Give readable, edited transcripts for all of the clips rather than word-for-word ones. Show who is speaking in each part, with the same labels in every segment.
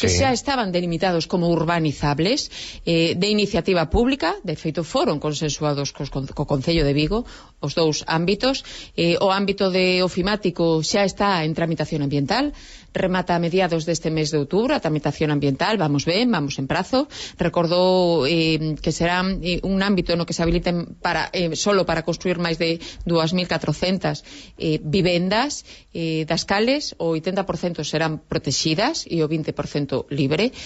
Speaker 1: que xa estaban delimitados como urbanizables, de iniciativa pública. De feito foron consensuados co Concello de Vigo os dous ámbitos. O ámbito de ofimático xa está en tramitación ambiental, remata a mediados deste mes de outubro a tramitación ambiental, vamos ben, vamos en prazo. Recordou que será un ámbito no que se habiliten solo para construir máis de 2.400 vivendas das cales o 80% serán protegidas e o 20% libre.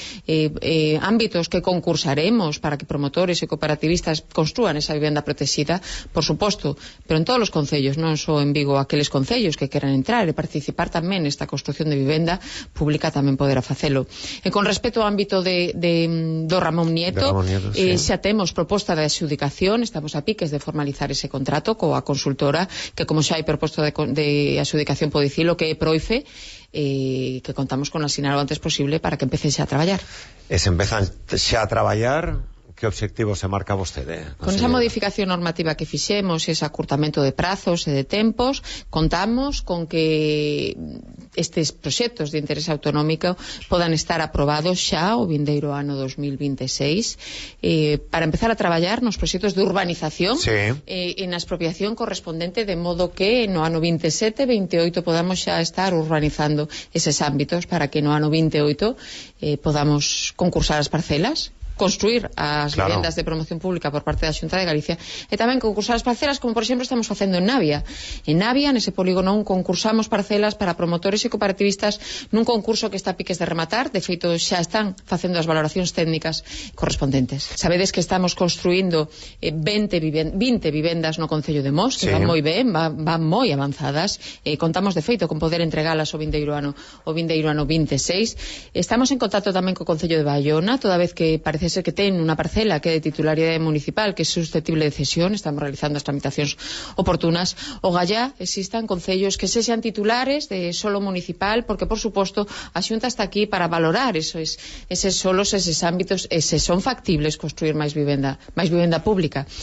Speaker 1: Ámbitos que concursaremos para que promotores e cooperativistas construan esa vivenda protegida, por suposto, pero en todos os concellos, non só en Vigo, aqueles concellos que queran entrar e participar tamén nesta construcción de vivenda pública tamén poderá facelo. E con respecto ao ámbito do Ramón Nieto, xa temos proposta de adxudicación, estamos a piques de formalizar ese contrato coa consultora, que como xa hai proposta de adxudicación pode dicilo, que é Proife, que contamos con asinar o antes posible para que empece xa a traballar.
Speaker 2: E se empezan xa a traballar, que obxectivo se marca vostede?
Speaker 1: Con esa modificación normativa que fixemos, ese acurtamento de prazos e de tempos, contamos con que estes proxectos de interés autonómico podan estar aprobados xa o vindeiro ano 2026 para empezar a traballar nos proxectos de urbanización e na expropiación correspondente, de modo que no ano 27-28 podamos xa estar urbanizando eses ámbitos para que no ano 28 podamos concursar as parcelas, construir as vivendas de promoción pública por parte da Xunta de Galicia e tamén concursar as parcelas, como por exemplo estamos facendo en Navia. En Navia, nese polígono, concursamos parcelas para promotores e cooperativistas nun concurso que está a piques de rematar. De feito, xa están facendo as valoracións técnicas correspondentes. Sabedes que estamos construindo 20 vivendas no Concello de Mos, que van moi ben, van moi avanzadas. Contamos, de feito, con poder entregalas o vindeiro ano 26. Estamos en contacto tamén co Concello de Baiona, toda vez que parece ser que ten unha parcela que é de titularidade municipal que é susceptible de cesión. Estamos realizando as tramitacións oportunas. O Gallá existan concellos que sexan titulares de solo municipal, porque por suposto a Xunta está aquí para valorar eses solos, eses ámbitos, e se son factibles construir máis vivenda pública.